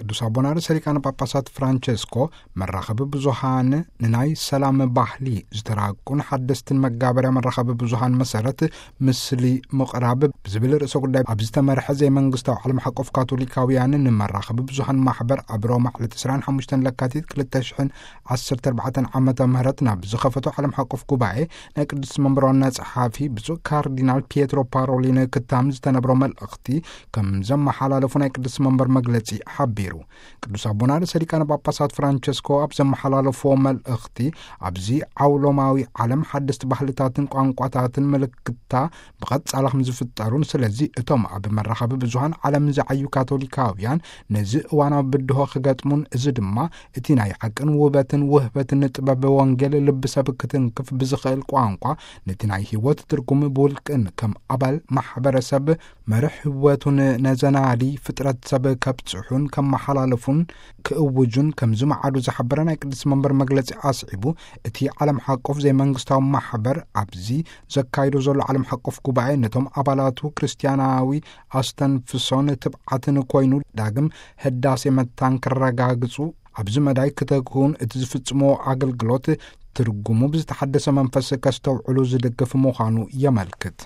ቅዱስ ኣቦና ርእሰ ሊቃነ ጳጳሳት ፍራንቸስኮ፣ መራኸቢ ብዙሃን ንናይ ሰላም ባህሊ ዝተራቁን ሓደስትን መጋበርያ መራኸቢ ብዙሃን መሰረት፣ ምስሊ ምቕራብ ብዝብል ርእሰ ጉዳይ ኣብ ዝተመርሐ ዘይመንግስታዊ ዓለም ሓቆፍ ካቶሊካውያን ንመራኸቢ ብዙሃን ማሕበር ኣብ ሮማ ዕለት ዕስራን ሓሙሽተን ለካቲት ክልተ ሽሕን ዓሰርተ ኣርባዕተን ዓመተ ምህረት ናብ ዝኸፈቶ ዓለም ሓቆፍ ጉባኤ፣ ናይ ቅዱስ መንበር ዋና ጸሓፊ ብፁዕ ካርዲናል ፒየትሮ ፓሮሊን ክታም ዝተነብሮ መልእኽቲ ከም ዘመሓላለፉ ናይ ቅዱስ መንበር መግለጺ ሓቢሩ። ቅዱስ ኣቦና ርእሰ ሊቃነ ጳጳሳት ፍራንቸስኮ ኣብ ዘመሓላለፍዎ መልእኽቲ፣ ኣብዚ ዓውሎማዊ ዓለም ሓደስቲ ባህልታትን ቋንቋታትን ምልክታ ብቐጻላ ከም ዝፍጠሩን፣ ስለዚ እቶም ኣብ መራኸቢ ብዙሃን ዓለም ዝዓዩ ካቶሊካውያን ነዚ እዋናዊ ብድሆ ክገጥሙን፣ እዚ ድማ እቲ ናይ ሓቅን ውበትን ውህበትን ጥበብ ወንጌል ልቢ ሰብ ክትንክፍ ብዝኽእል ቋንቋ፣ ነቲ ናይ ህይወት ትርጉም ብውልቅን ከም ኣባል ማሕበረሰብ መርሕ ህይወቱን ነዘናሊ ፍጥረት ሰብ ከብጽሑን ከመሓላለፉን ክእውጁን ከም ዝመዓዱ ዝሓበረ ናይ ቅዱስ መንበር መግለጺ ኣስዒቡ፣ እቲ ዓለም ሓቆፍ ዘይመንግስታዊ ማሕበር ኣብዚ ዘካይዶ ዘሎ ዓለም ሓቆፍ ጉባኤ ነቶም ኣባላቱ ክርስትያናዊ ኣስተንፍሶን ትብዓትን ኮይኑ ዳግም ህዳሴ መታን ክረጋግጹ፣ ኣብዚ መዳይ ክተግሁን እቲ ዝፍጽሞ ኣገልግሎት ትርጉሙ ብዝተሓደሰ መንፈስ ከስተውዕሉ ዝድግፍ ምዃኑ የመልክት።